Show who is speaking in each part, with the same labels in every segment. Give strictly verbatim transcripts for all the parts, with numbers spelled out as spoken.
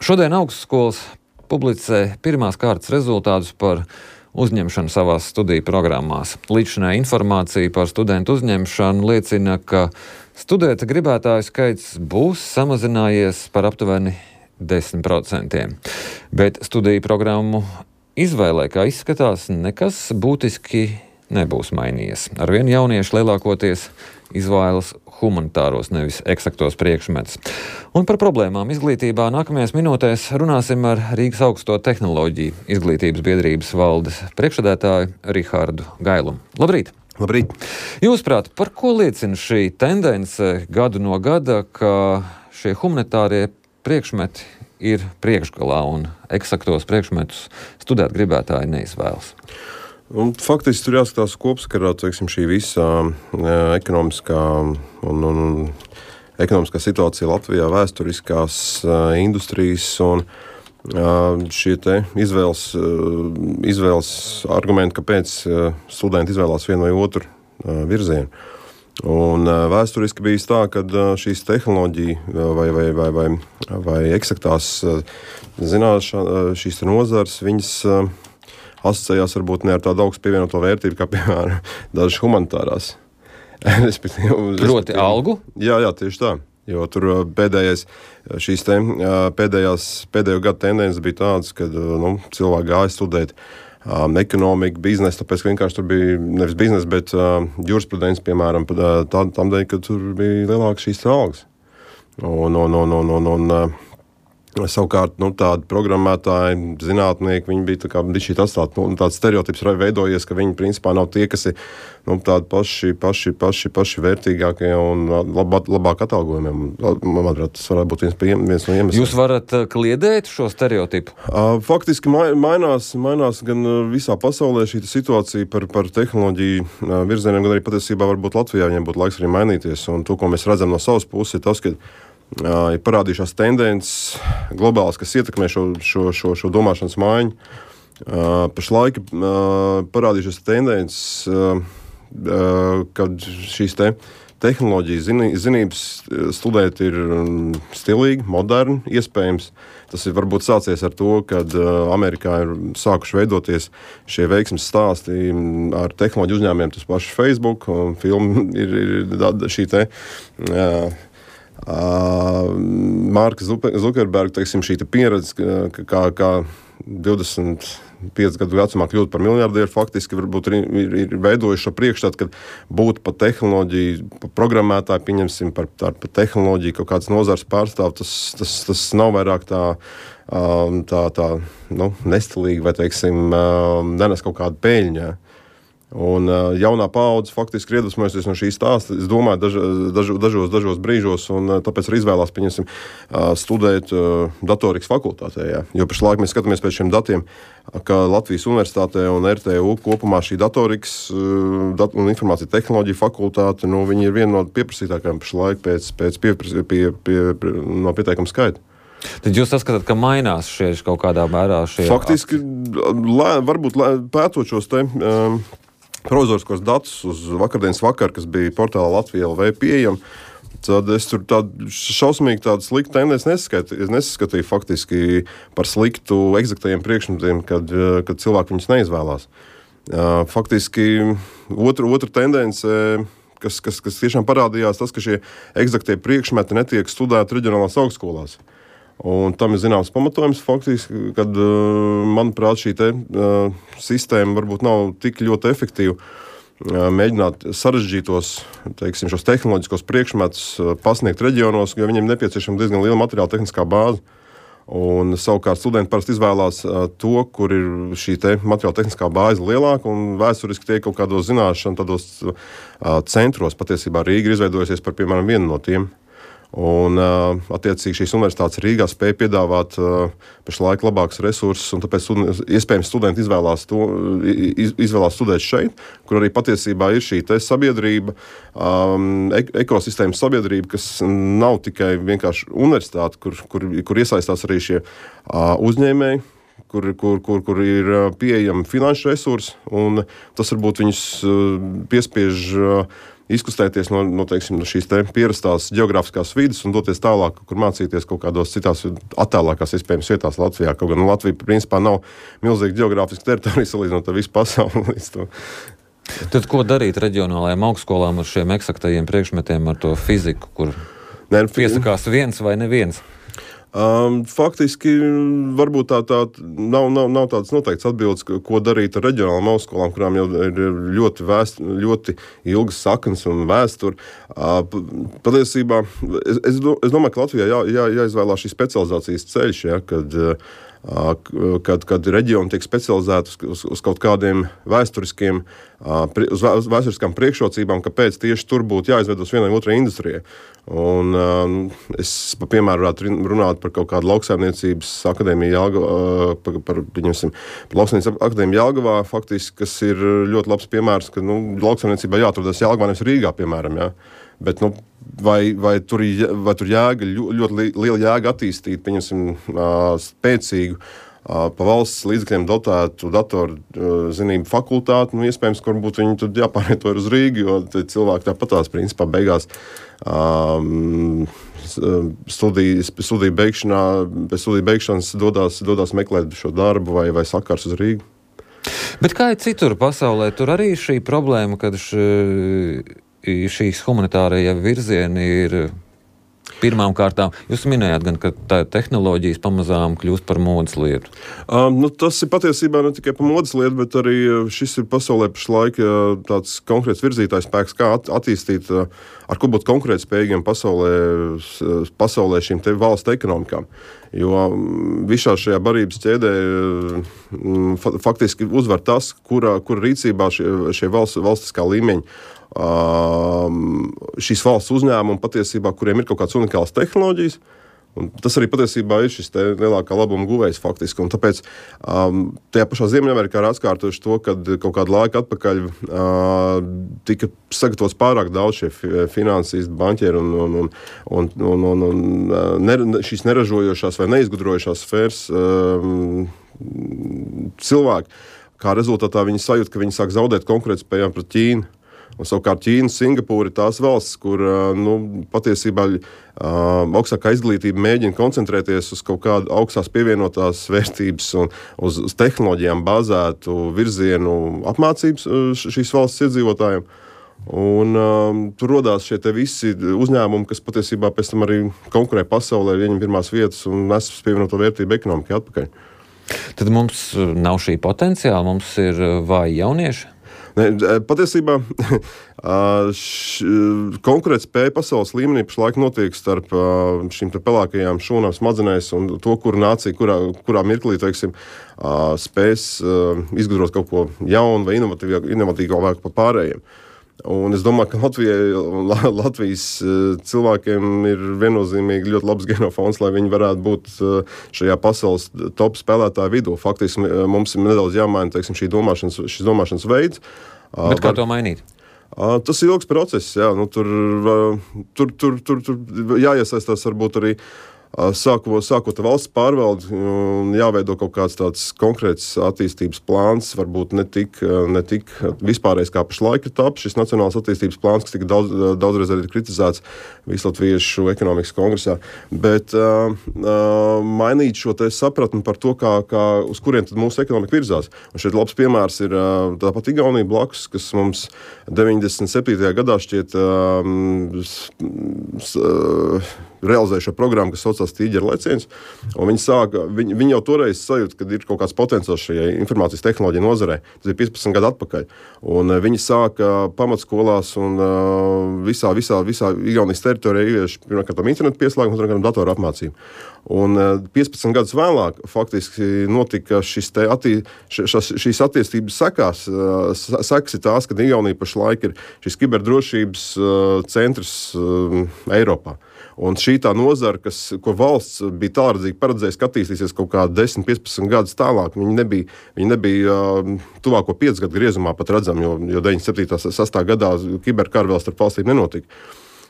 Speaker 1: Šodien augstskolas publicē pirmās kārtas rezultātus par uzņemšanu savās studiju programmās. Līdzinājā informācija par studentu uzņemšanu liecina, ka studēt gribētāju skaits būs samazinājies par aptuveni desmit procentiem. Bet studiju programmu izvēlē, kā izskatās, nekas būtiski nebūs mainījies. Arvien jaunieši lielākoties izvēlas humanitāros, nevis eksaktos priekšmetus. Un par problēmām izglītībā nākamajās minūtēs runāsim ar Rīgas augsto tehnoloģiju izglītības biedrības valdes priekšsēdētāju Rihardu Gailumu. Labrīt!
Speaker 2: Labrīt!
Speaker 1: Jūsuprāt, par ko liecina šī tendence gadu no gada, ka šie humanitārie priekšmeti ir priekšgalā un eksaktos priekšmetus studēt gribētāji neizvēlas?
Speaker 2: Un, faktiski tur jāskatās kopsakarā, teiksim, šī visa e, ekonomiskā un, un, un ekonomiskā situācija Latvijā, vēsturiskās e, industrijas un e, šie te izvēles, e, izvēles argumenti, kāpēc e, studenti izvēlās vienu vai otru e, virzienu. Un e, vēsturiski bijis tā, ka e, šīs tehnoloģija vai, vai, vai, vai, vai eksaktās e, zināšana, šīs te nozars, viņas e, asociējās varbūt ne ar tādu augstu pievienoto vērtību, kā, piemēram, dažas humanitārās. respektīvi,
Speaker 1: Proti algu?
Speaker 2: Jā, jā, tieši tā. Jo tur pēdējais, šīs te, pēdējās, pēdējo gadu tendences bija tādas, kad nu, cilvēki gāja studēt um, ekonomiku, biznesu, tāpēc, ka vienkārši tur bija nevis biznesa, bet uh, jurisprudence, piemēram, tā, tam dēļ, ka tur bija lielākas šīs algas. Un, un, un, un, un, un uh, savukārt, nu, tādi programmētāji, zinātnieki, viņi bija tā kā šī atstāt, nu, tāds stereotips veidojies, ka viņi principā nav tie, kas ir, nu, tādi paši, paši, paši, paši vērtīgākie un labāk, labāk atalgojumiem. Manuprāt, tas varētu būt viens, viens no iemesliem.
Speaker 1: Jūs varat kliedēt šo stereotipu?
Speaker 2: Faktiski mainās, mainās gan visā pasaulē šī situācija par, par tehnoloģiju virzieniem, gan arī patiesībā varbūt Latvijā viņiem būtu laiks arī mainīties. Un to, ko mēs redzam no savas puses, ir tas, ka ir parādījušās tendences globālas, kas ietekmē šo, šo, šo, šo domāšanas maiņu. Pašlaik parādījušās tendences, kad šīs te tehnoloģijas zinības studēt ir stilīgi, moderni, iespējams. Tas ir varbūt sācies ar to, kad Amerikā ir sākuši veidoties šie veiksmes stāsti ar tehnoloģiju uzņēmumiem, tas paši Facebook, un filma ir, ir šī te jā, Uh, Marka Zukerberga, teiksim, šī te pieredze, kā, kā divdesmit pieci gadu vecumā kļūt par miljardieru, faktiski varbūt ir, ir, ir veidojuši šo priekšstatu, kad būt pa tehnoloģiju, pa programmētāju, pieņemsim par, par tehnoloģiju, kaut kāds nozars pārstāv, tas, tas, tas nav vairāk tā, tā, tā nu, nestilīgi vai, teiksim, nenes kaut kādu peļņu. Un uh, jaunā paudze faktiski ir iedvesmojusies no šīs stāsta. Es domāju, daž, daž, dažos, dažos brīžos, un uh, tāpēc arī izvēlās, pieņemsim, uh, studēt uh, datorikas fakultātē. Jā. Jo pašlaik mēs skatāmies pēc šiem datiem, ka Latvijas universitātē un R T U kopumā šī datorikas uh, dat un informācija tehnoloģija fakultāte, nu, viņi ir viena no pieprasītākajām pašlaik pēc, pēc piepras, pie, pie, pie, no pieteikuma skaita.
Speaker 1: Tad jūs saskatāt, ka mainās šie kaut kādā mērā šie...
Speaker 2: Faktiski, lē, varbūt lē, pētot šos te... Um, provizoriskos datus uz vakardienas vakaru, kas bija portālā Latvija L V pieejama, tad es tur tādu šausmīgi tādu sliktu tendenci nesaskatīju. Es nesaskatīju faktiski par sliktu eksaktajiem priekšmetiem, kad, kad cilvēki viņus neizvēlās. Faktiski otra, otra tendence, kas, kas, kas tiešām parādījās, tas, ka šie eksaktie priekšmeti netiek studēti reģionālās augstskolās. Un tam ir zināms pamatojums faktiski, kad, manuprāt, šī te, uh, sistēma varbūt nav tik ļoti efektīva uh, mēģināt sarežģītos, teiksim, šos tehnoloģiskos priekšmetus uh, pasniegt reģionos, jo viņiem nepieciešama diezgan liela materiāla tehniskā bāze. Un savukārt studenti parasti izvēlās uh, to, kur ir šī te materiāla tehniskā bāze lielāka, un vēsturiski tie kaut kādos zināšanu, tādos uh, centros, patiesībā Rīga ir izveidojusies par, piemēram, vienu no tiem. Un, uh, attiecīgi, šīs universitātes Rīgā spēja piedāvāt uh, pašlaik labākus resursus, un tāpēc studi- iespējams studenti izvēlās, to, iz, izvēlās studēt šeit, kur arī patiesībā ir šī te sabiedrība, um, ek- ekosistēmas sabiedrība, kas nav tikai vienkārši universitāte, kur, kur, kur iesaistās arī šie uh, uzņēmēji, kur, kur, kur, kur ir pieejami finanšu resursi, un tas varbūt viņus piespiež izkustēties no, no, teiksim, no šīs te pierastās geogrāfiskās vidas un doties tālāk, kur mācīties kaut kādās citās attālākās iespējams vietās Latvijā. Kaut gan Latvija principā nav milzīga geogrāfiska teritorija salīdzinot ar visu pasauli līdz to.
Speaker 1: Tad ko darīt reģionālajām augstskolām ar šiem eksaktajiem priekšmetiem, ar to fiziku, kur Nē, piesakās viens vai neviens?
Speaker 2: Um, faktiski varbūt tā, tā nav, nav, nav tādas noteikts atbildes, ko darīt ar reģionālām augstskolām, kurām jau ir ļoti, vēst, ļoti ilgas saknes un vēsture. Uh, patiesībā es, es, do, es domāju, ka Latvijā jā, jā, jāizvēlās šī specializācijas ceļš, ja, kad Kad, kad reģioni tiek specializēti uz, uz, uz kaut kādiem vēsturiskiem, uz vēsturiskām priekšrocībām, kāpēc tieši tur būtu jāizvedos vienai otrai industrijai. Un, es, piemēram, varētu runāt par kaut kādu lauksaimniecības akadēmiju Jelgavā, par, par, par lauksaimniecības akadēmiju Jelgavā, faktiski, kas ir ļoti labs piemērs, ka nu, lauksaimniecībā jāatrodas Jelgavā, nevis Rīgā, piemēram, jā. Bet, nu, vai, vai, tur, vai tur jēga, ļoti liela jēga attīstīt, pieņemsim, spēcīgu, pa valsts līdzekļiem dotētu datoru zinību fakultāti, nu, iespējams, kur būtu viņi tad jāpārvieto uz Rīgu, jo cilvēki tāpatās, principā, beigās um, studiju, studiju beigšanā, pēc studiju beigšanas dodās, dodās meklēt šo darbu vai, vai sakars uz Rīgu.
Speaker 1: Bet kā ir citur pasaulē? Tur arī šī problēma, kad š... šīs humanitārajie virzieni ir pirmām kārtām. Jūs minējāt gan, ka tā tehnoloģijas pamazām kļūst par modes lietu.
Speaker 2: Um, nu, tas ir patiesībā ne tikai par modes lietu, bet arī šis ir pasaulē pašlaik tāds konkrēts virzītājs spēks, kā at- attīstīt, ar ko būt konkurētspējīgiem pasaulē, pasaulē šīm te valstu ekonomikām. Jo visā šajā barības ķēdē faktiski uzvar tas, kura, kura rīcībā šie, šie valsts, valstiskā līmeņa Um, šīs valsts uzņēmumi patiesībā, kuriem ir kaut kādas unikālas tehnoloģijas, un tas arī patiesībā ir šis te lielākā labuma guvējs faktiski, un tāpēc um, tajā pašā Ziemeļamerikā ir atkārtojuši to, kad kaut kādu laiku atpakaļ uh, tika sagatavots pārāk daudz šie finansisti, banķieri un, un, un, un, un, un, un ne, šīs neražojošās vai neizgudrojušās sfēras um, cilvēki, kā rezultātā viņi sajūt, ka viņi sāk zaudēt konkurētspējām pret Ķīnu. Un savukārt Ķīna, Singapūra ir tās valsts, kur nu, patiesībā uh, augstākā izglītība mēģina koncentrēties uz kaut kādu augstās pievienotās vērtības un uz, uz tehnoloģijām bāzētu virzienu apmācības šīs valsts iedzīvotājiem. Un um, tur rodās šie te visi uzņēmumi, kas patiesībā pēc tam arī konkurē pasaulē, ieņem pirmās vietas un nes pievienoto vērtību ekonomikai atpakaļ.
Speaker 1: Tad mums nav šī potenciāla, mums ir vāji jaunieši?
Speaker 2: Ne, patiesībā konkurētspēja pasaules līmenī pašlaik notiek starp šīm pelēkajām šūnām smadzenēs un to, kur nācija, kurā, kurā mirklī, teiksim, spēs izgudrot kaut ko jaunu vai inovatīvāku par pārējiem. Un es domāju, ka Latvijai, Latvijas cilvēkiem ir viennozīmīgi ļoti labs genofons, lai viņi varētu būt šajā pasaules top spēlētāju vidū. Faktiski mums ir nedaudz jāmaina, teiksim, šī domāšanas, šis domāšanas veids.
Speaker 1: Bet kā to mainīt?
Speaker 2: Tas ir ilgs process, jā. Nu, tur, tur, tur, tur, tur jāiesaistās varbūt arī Sāko, sākot ar valsts pārvaldi, jāveido kaut kāds tāds konkrēts attīstības plāns, varbūt ne tik, ne tik vispārējais kā pašlaik ir taps šis nacionāls attīstības plāns, kas tika daudz, daudzreiz arī kritizēts Vislatviešu ekonomikas kongresā. Bet uh, uh, mainīt šo te sapratni par to, kā, kā, uz kuriem tad mūsu ekonomika virzās. Un šeit labs piemērs ir uh, tāpat Igaunija blakus, kas mums deviņdesmit septītajā gadā šķiet um, s, uh, realizēja šo programmu, kas saucās Tīģeru leciens. Viņi, sāka, viņi, viņi jau toreiz sajūta, ka ir kaut kāds potenciāls šajai informācijas tehnoloģija nozarē. Tas ir piecpadsmit gadu atpakaļ. Un viņi sāka pamatskolās un visā, visā, visā Igaunijas teritorijā ievieš pirmkārt internetu pieslēgumu, otrkārt datoru apmācību. Un piecpadsmit gadus vēlāk faktiski notika šis te attī, šas, šīs attīstības sekās. Sekas ir tās, ka Igaunija pašlaik ir šis kiberdrošības centrs Eiropā. Un šī tā nozara, kas, ko valsts bija tālredzīgi paredzējusi, ka attīstīsies kaut kā desmit, piecpadsmit gadus tālāk, viņi nebija, viņi nebija uh, tuvāko piecus gadu griezumā pat redzam, jo, jo deviņdesmit septītajā sastajā gadā kiberkara vēl starp valstīm nenotika.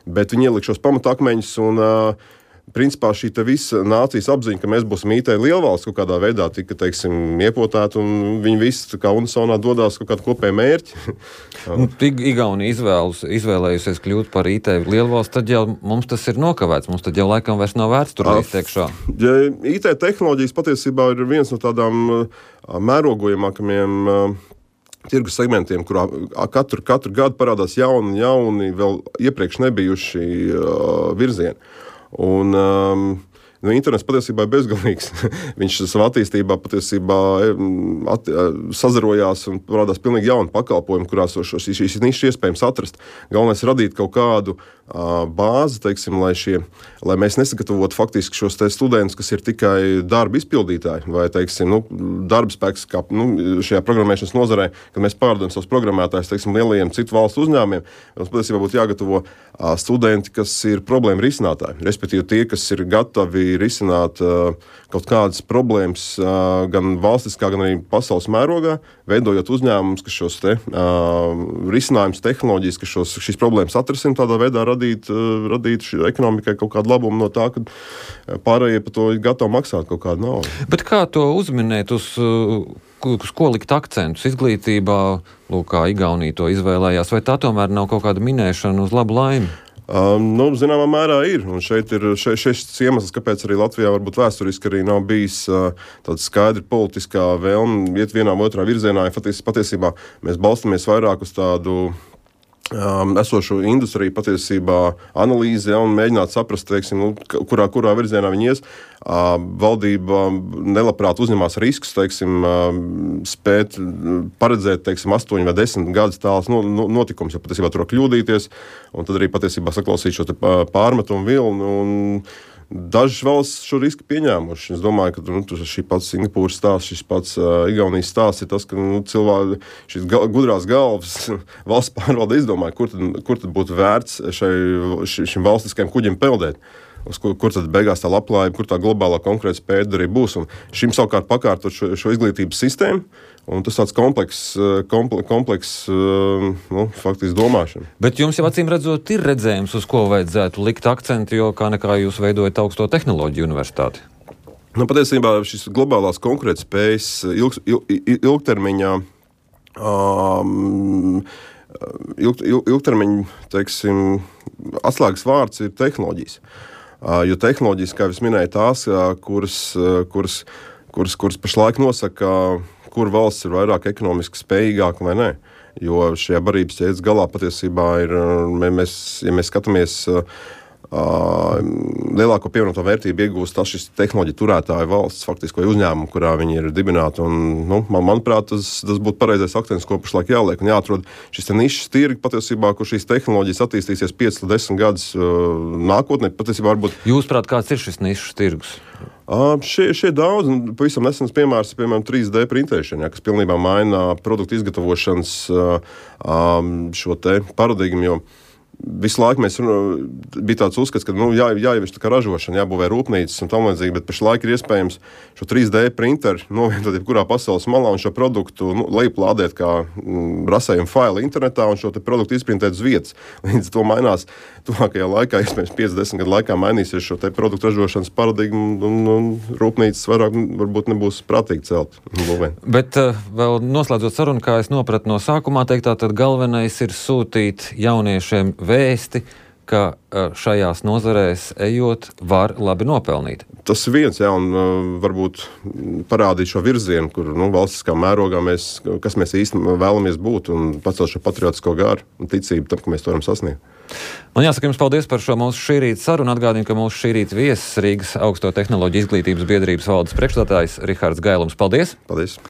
Speaker 2: Bet viņi ielika šos pamatakmeņus un uh, principā šī visa nācijas apziņa, ka mēs būsim I T lielvalsts kaut kādā veidā tika, teiksim, iepotēta, un viņi visi kā unisonā dodās kaut kādu kopēju mērķi.
Speaker 1: Nu, Igaunija izvēlus, izvēlējusies kļūt par I T lielvalsts, tad jau mums tas ir nokavēts, mums tad jau laikam vairs nav vērts tur līdz tiekšā.
Speaker 2: Ja I T tehnoloģijas patiesībā ir viens no tādām mērogojamākajiem tirgus segmentiem, kurā katru, katru gadu parādās jauni, jauni, vēl iepriekš nebijuši uh, virzieni. Un um, nu, internets patiesībā ir bezgalīgs. Viņš savā attīstībā patiesībā at, sazarojās un parādās pilnīgi jauni pakalpojumi, kurās šīs, šīs nišas iespējams atrast. Galvenais ir radīt kaut kādu uh, bāzi, teiksim, lai, šie, lai mēs nesagatavotu faktiski šos te studentus, kas ir tikai darba izpildītāji vai, teiksim, nu, darba spēks, kā nu, šajā programmēšanas nozarē, kad mēs pārdodam savus programmētājus, teiksim, lielajiem citu valstu uzņēmumiem. Mums patiesībā būtu jāgatavo uh, studenti, kas ir problēma risinātāji, respektīvi tie, kas ir gatavi risināt uh, kaut kādas problēmas uh, gan valstiskā, gan arī pasaules mērogā, veidojot uzņēmumus, kas šos te uh, risinājumus, tehnoloģijas, kas šos, šīs problēmas atrisina, tādā veidā radīt, uh, radīt ekonomikai kaut kādu labumu no tā, ka pārējie par to ir gatavi maksāt kaut kādu naudu.
Speaker 1: Bet kā to uzminēt, uz, uz ko likt akcentus izglītībā, lūk, kā Igaunija to izvēlējās, vai tā tomēr nav kaut kāda minēšana uz labu laimi?
Speaker 2: Um, nu, zināmā mērā ir, un šeit ir šeit, šeit iemesls, kāpēc arī Latvijā varbūt vēsturiski arī nav bijis uh, tāda skaidra politiskā vēlme iet vienā otrā virzienā, ja paties, patiesībā mēs balstamies vairāk uz tādu um, esošo industriju patiesībā analīzi, ja, un mēģināt saprast, teiksim, nu, kurā, kurā virzienā viņi ies. Uh, valdība nelabprāt uzņemās riskus, teiksim, uh, spēt paredzēt, teiksim, astoņi vai desmit gadus tālus notikums, jo patiesībā tur var kļūdīties, un tad arī patiesībā saklausīt šo te pārmetumu vilnu, un dažas valsts šo risku pieņēmuši. Es domāju, ka nu, šī pats Singapūras stāsts, šis pats uh, Igaunijas stāsts ir tas, ka nu, cilvēki, šīs ga, gudrās galvas valsts pārvalde izdomāja, kur tad, kur tad būtu vērts šai, šim valstiskajam kuģim peldēt. Uz kur, kur tad beigās tā labklājība, kur tā globālā konkurētspēja arī būs. Un šim savukārt pakārtot šo, šo izglītības sistēmu, un tas tāds komplekss, komple, kompleks, nu, faktiski domāšana.
Speaker 1: Bet jums jau acīm redzot ir redzējums, uz ko vajadzētu likt akcentu, jo kā nekā jūs veidojat augsto tehnoloģiju universitāti?
Speaker 2: Nu, patiesībā šis globālās konkurētspējas ilg, ilg, ilgtermiņā um, ilg, ilg, ilgtermiņa, teiksim, atslēgas vārds ir tehnoloģijas. Uh, jo tehnoloģijas, kā es minēju, tās, uh, kuras, uh, kuras, kuras, kuras pašlaik nosaka, kur valsts ir vairāk ekonomiski spējīgāka vai nē. Jo šajā barības ķēdes galā patiesībā ir, mēs, ja mēs skatāmies, uh, uh, lielāko pievienoto vērtību iegūst tas šis tehnoloģiju turētāju valsts, faktiski, vai uzņēmumu, kurā viņi ir dibināti. Un, nu, man, manuprāt, tas, tas būtu pareizais akcents, ko pašlaik jāliek. Un jāatrod šis te nišas tirgi, patiesībā, kur šīs tehnoloģijas attīstīsies pieci līdz desmit gadus uh, nākotnē. Patiesībā varbūt...
Speaker 1: Jūsuprāt, kāds ir šis nišas tirgus?
Speaker 2: Uh, šie, šie daudz, un pavisam nesens piemērs ir, piemēram, trīs D printēšana, ja, kas pilnībā maina produktu izgatavošanas uh, um, šo te paradigmu, jo visu laiku mēs bija tāds uzskats, ka nu, jā, jāievieš tā kā ražošana, jābūvē rūpnīcas un tam līdzīgi, bet pašlaik ir iespējams šo trīs D printeru novietot jebkurā pasaules malā un šo produktu nu, lejuplādēt kā mm, rasējumu failu internetā un šo te produktu izprintēt uz vietas. Līdz to mainās tuvākajā laikā, iespējams pieci desmit gadu laikā mainīsies šo te produktu ražošanas paradigmu un, un rūpnīcas vairāk varbūt nebūs prātīgi celt. Būvēt.
Speaker 1: Bet uh, vēl noslēdzot sarunu, kā es nopratu no sākumā teiktā, tad galvenais ir sūtīt jauniešiem vēsti, ka šajās nozarēs ejot var labi nopelnīt.
Speaker 2: Tas ir viens, jā, un uh, varbūt parādīt šo virzienu, kur nu, valstiskā mērogā mēs, kas mēs īsti vēlamies būt un pacelt šo patriotisko garu un ticību tam, ka mēs to varam sasniegt.
Speaker 1: Man jāsaka jums paldies par šo mūsu šī rīta sarunu. Atgādinu, ka mūsu šī rīta viesis Rīgas Augsto tehnoloģiju izglītības biedrības valdes priekšstādātājs Rihards Gailums. Paldies!
Speaker 2: Paldies!